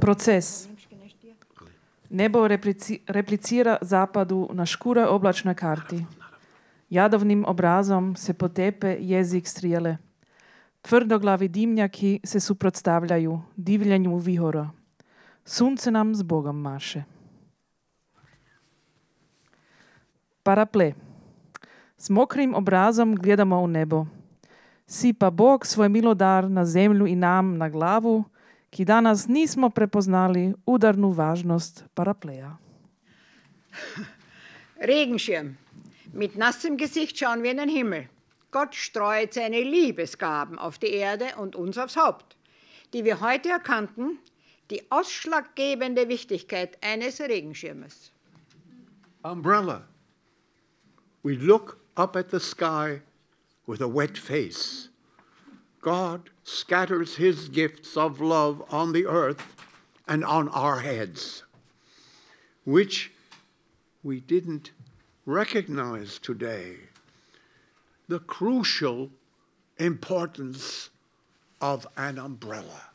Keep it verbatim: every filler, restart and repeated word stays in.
Proces. Nebo replici, replicira zapadu na škure oblačnoj karti. Jadovnim obrazom se potepe jezik strijele. Tvrdoglavi dimnjaki se suprotstavljaju divljenju vihora. Sunce nam s Bogom maše. Paraple. S mokrim obrazom gledamo u nebo. Sipa Bog svoj milodar na zemlju i nam na glavu, ki danas nismo prepoznali udarnu važnost parapleja. Regenschirm. Mit nassem Gesicht schauen wir in den Himmel. Gott streut seine Liebesgaben auf die Erde und uns aufs Haupt, die wir heute erkannten, die ausschlaggebende Wichtigkeit eines Regenschirmes. Umbrella. We look up at the sky with a wet face. God scatters his gifts of love on the earth and on our heads, which we didn't recognize today. The crucial importance of an umbrella.